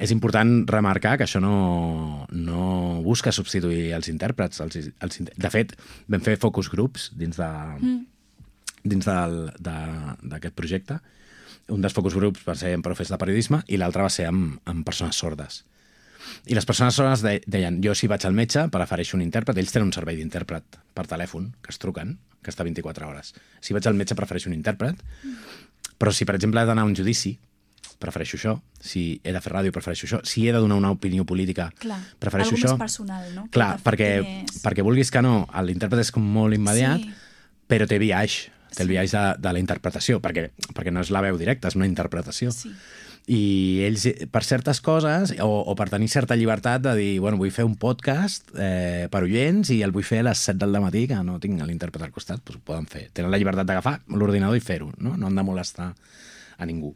És important remarcar que això no busca substituir els intèrprets. De fet, vam fer focus groups dins d'aquest projecte. Un dels focus groups va ser amb profes de periodisme i l'altre va ser amb persones sordes. I les persones sordes deien, jo si vaig al metge prefereixo un intèrpret, ells tenen un servei d'intèrpret per telèfon, que es truquen, que està 24 hores. Si vaig al metge prefereixo un intèrpret, però si per exemple he d'anar a un judici, prefereixo això. Si he de fer ràdio, prefereixo això. Si he de donar una opinió política, prefereixo això. Algo més personal, no? Clar, perquè vulguis que no, l'intèrpret és com molt immediat, però té biaix, té el biaix de la interpretació, perquè no és la veu directa, és una interpretació. Sí. I ells, per certes coses, o per tenir certa llibertat de dir, bueno, vull fer un podcast per oients i el vull fer a les 7 del matí, que no tinc l'intèrpret al costat, doncs ho poden fer. Tenen la llibertat d'agafar l'ordinador i fer-ho, no? No han de molestar a ningú.